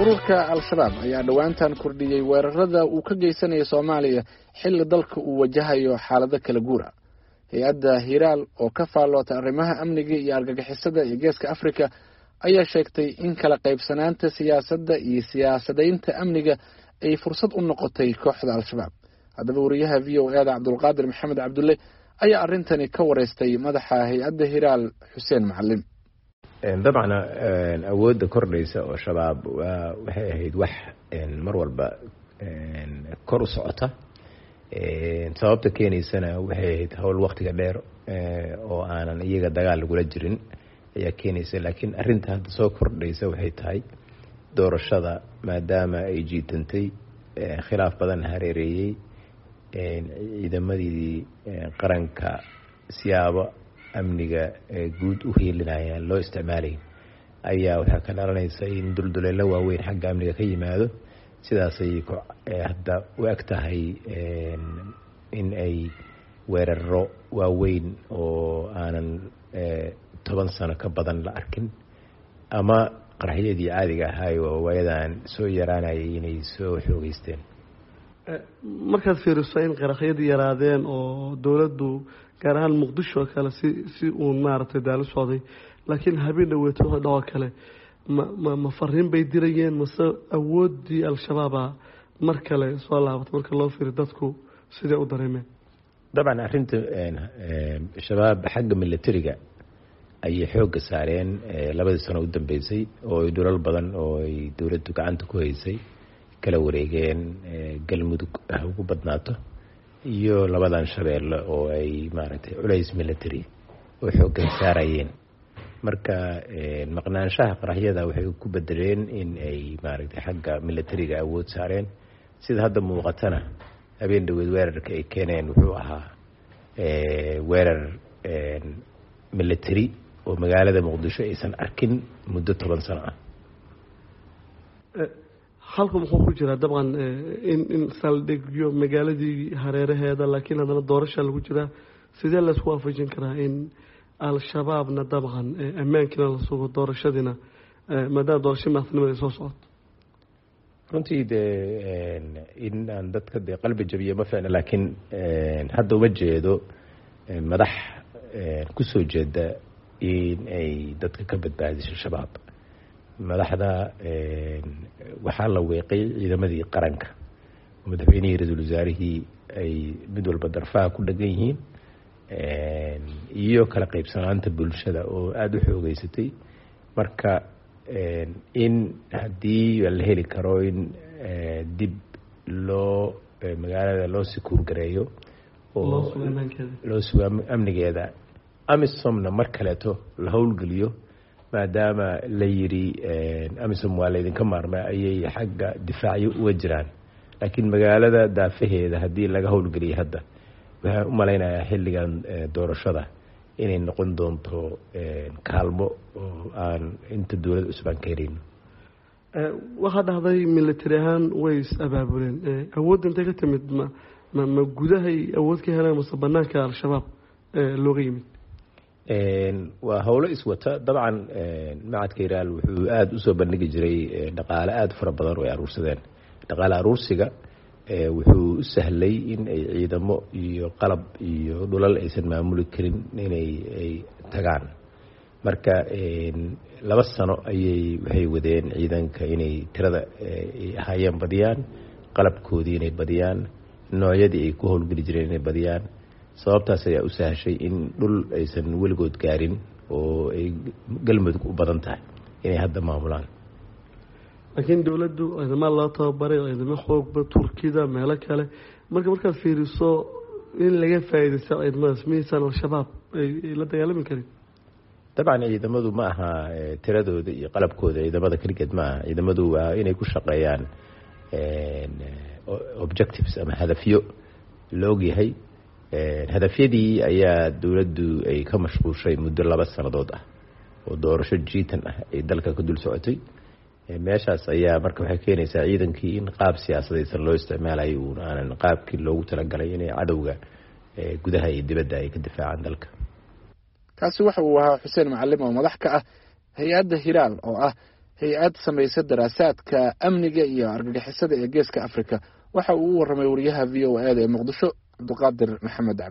Ururka Al-Shabaab ayaa dhowaantan kordhiyey weerarada uu ka geysanaya Soomaaliya xilli dalka uu wajahayo xaalado kala guura. Hay-adda Hiiraal oo ka faalloota arrimaha amniga iyo argagixisada ee Geeska Afrika ayaa sheegtay in kala qaybsanaanta siyaasadda iyo siyaasadaynta amniga ay fursad u noqotay kooxda Al-Shabaab. Haddaba, wariyaha VOA-da Cabdulqaadir Maxamed Cabdulle ayaa arrintani ka wareystay madaxa hay-adda Hiiraal, Xuseen Macalin. Dabcan, awoodda kordhaysa oo Shabaab waxay ahayd wax mar walba kor u socota. Sababta keenaysana waxay ahayd howl waktiga dheer oo aanan iyaga dagaal lagula jirin ayaa keenaysa. Laakiin arrinta hadda soo kordhaysa waxay tahay doorashada, maadaama ay jiitantay, khilaaf badan hareereeyey, ciidamadii qaranka siyaabo amniga guud u hiilinayaan loo isticmaalayn, ayaa waxaa ka dhalanaysa in dulduleelo waaweyn xagga amniga ka yimaado. Sidaasay hadda u eg tahay in ay weeraro waaweyn oo aanan 10 sano ka badan la arkin ama qaraxyadii caadiga ahaay oo waayadan soo yaraanayay inay soo xoogeysteen. Markaad fiiriso in qaraxyadii yaraadeen oo dowladdu gaar ahaan Muqdisho oo kale si uun maaragtay daalo socday, laakiin habeen dhaweeto wixii dhacoo kale, ma fariin bay dirayeen mase awooddii Al-Shabaaba mar kale soo laabatay, marka loo fiiriyo dadku sidee u dareemeen? Dabcan, arrinta Shabaab xagga militariga ayay xoogga saareen 2dii sano u dambeysay, oo ay dhulal badan oo ay dowladdu gacanta ku haysay kala wareegeen, Galmudug ha ugu badnaato iyo labadan Shabeelle, oo ay maaragtay culays military oo xooggan saarayeen. Marka maqnaanshaha qaraxyada waxay ku bedeleen in ay maaragtay xagga militariga awood saareen. Sida hadda muuqatana, habeen dhaweed weerarka ay keeneen wuxuu ahaa weerar military oo magaalada Muqdisho aysan arkin muddo 10 sano ah. Halku muxuu ku jiraa? Dabcan, in saldhigyo magaaladii hareeraheeda, laakiin haddana doorasha lagu jiraa, sidee laysku waafajin karaa in Al-Shabaabna dabcan ammaankiina la sugo, doorashadiina, maadaama doorasho madaxtinimada ay soo socoto? Runtii dee in aan dadka dee qalbi jabiyo ma ficna, laakiin hadda uma jeedo madax kusoo jeeda in ay dadka ka badbaadiso Shabaab. Madaxda waxaa la weeqay ciidamadii qaranka, madaxweynihii, ra-iisul wasaarihii ay mid walba darfaha ku dhegan yihiin, iyo kala qaybsanaanta bulshada oo aada u xoogeysatay. Marka in haddii la heli karo in dib loo magaalada loo secure gareeyo oo loo sugo amnigeeda, AMISOMna mar kaleeto la howlgeliyo, maadaama la yidhi AMISOM waa laydinka maarma, ayay xagga difaacyo uga jiraan. Laakiin magaalada daafaheeda haddii laga howlgeliyay hadda, waxaan u malaynayaa xilligan doorashada inay noqon doonto kaalmo oo aan inta dowlad cusub aan ka helayno. Waxaa dhahday military ahaan way is abaabuleen. Awoodda intay ka timid? Ma gudahay awood ka heleen mase banaanka Al-Shabaab looga yimid? Waa howlo iswata. Dabcan, macadka Hiraal wuxuu aada usoo bandhigi jiray dhaqaale aada fara badan oo ay aruursadeen. Dhaqaale aruursiga wuxuu u sahlay in ay ciidamo iyo qalab iyo dhulal aysan maamuli karin inay ay tagaan. Marka 2 sano ayay waxay wadeen ciidanka inay tirada ay ahaayeen badiyaan, qalabkoodii inay badiyaan, noocyadii ay ku howlgeli jireen inay badiyaan. Sababtaas ayaa u sahashay in dhul aysan weligood gaarin oo ay Galmudug u badan tahay inay hadda maamulaan. Laakiin dowladdu ciidama loo tababaray, ciidamo xoogba, Turkida, meelo kale. Marka markaad fiiriso in laga faa'iidaysta ciidamadaas, miyaysan Al-Shabaab ay la dagaalami karin? Dabcan, ciidamadu ma aha tiradooda iyo qalabkooda ciidamada keligeed ma aha. Ciidamadu waa inay ku shaqeeyaan objectives ama hadafyo la ogyahay. Hadafyadii ayaa dowladdu ay ka mashquushay muddo 2 sannadood ah oo doorasho jiitan ah ay dalka ka dul socotay. Meeshaas ayaa marka waxay keenaysaa ciidankii in qaab siyaasadaysan loo isticmaalayo, uun aanan qaabkii loogu talagalay inay cadowga gudaha iyo dibadda ay ka difaacaan dalka. Kaasi waxa uu ahaa Xuseen Macalim oo madax ka ah hay-adda Hiraal oo ah hay-ad samaysa daraasaadka amniga iyo argagixisada ee Geeska Afrika. Waxa uu u warramay wariyaha v o a da ee Muqdisho, Cabdiqaadir Maxamed Cabdi.